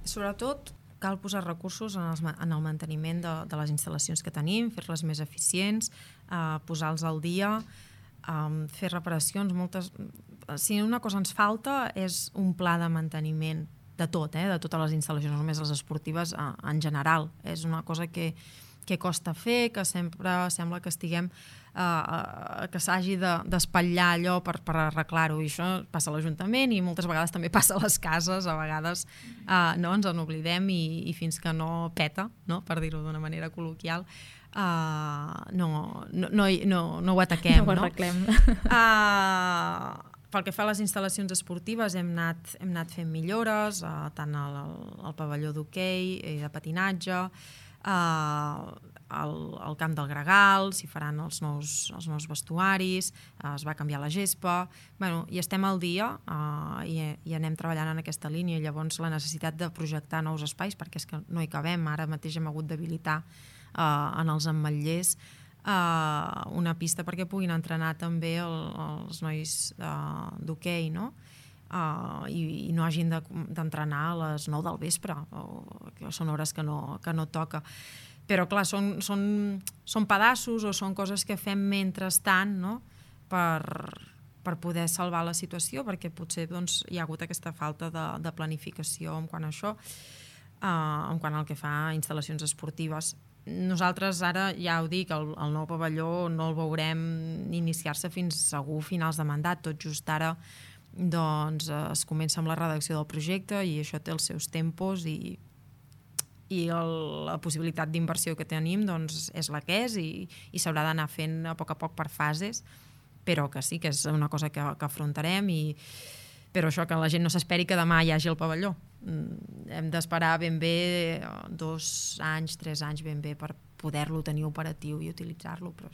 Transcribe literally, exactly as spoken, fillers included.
Sobretot cal posar recursos en, els, en el manteniment de, de les instal·lacions que tenim, fer-les més eficients, eh, posar-los al dia, eh, fer reparacions. Moltes... Si una cosa ens falta és un pla de manteniment de tot, eh, de totes les instal·lacions, no només les esportives, eh, en general. És una cosa que, que costa fer, que sempre sembla que estiguem eh, que s'hagi de, d'espatllar allò per, per arreglar-ho, i això passa a l'Ajuntament i moltes vegades també passa a les cases, a vegades eh, no, ens en oblidem i, i fins que no peta, no, per dir-ho d'una manera col·loquial, uh, no, no, no, no, no ho ataquem. No ho arreglem. No? Uh, pel que fa a les instal·lacions esportives hem anat, hem anat fent millores, uh, tant al, al pavelló d'hoquei i de patinatge, Uh, al, al camp del Gregal, s'hi faran els nous, els nous vestuaris, uh, es va canviar la gespa, bueno, i estem al dia uh, i, i anem treballant en aquesta línia. Llavors la necessitat de projectar nous espais, perquè és que no hi cabem, ara mateix hem hagut d'habilitar uh, en els ametllers uh, una pista perquè puguin entrenar també el, els nois uh, d'hoquei, no? Uh, i, i no hagin de, d'entrenar a les nou del vespre, o, que són hores que no, que no toca. Però clar, són, són, són pedaços o són coses que fem mentrestant, no? per, per poder salvar la situació, perquè potser doncs, hi ha hagut aquesta falta de, de planificació en quant a això, uh, en quant al que fa a instal·lacions esportives. Nosaltres ara, ja ho dic, el, el nou pavelló no el veurem iniciar-se fins segur finals de mandat, tot just ara doncs es comença amb la redacció del projecte i això té els seus tempos i, i el, la possibilitat d'inversió que tenim doncs és la que és i, i s'haurà d'anar fent a poc a poc per fases, però que sí que és una cosa que, que afrontarem, i, però això, que la gent no s'esperi que demà hi hagi el pavelló. Hem d'esperar ben bé dos anys, tres anys ben bé per poder-lo tenir operatiu i utilitzar-lo, però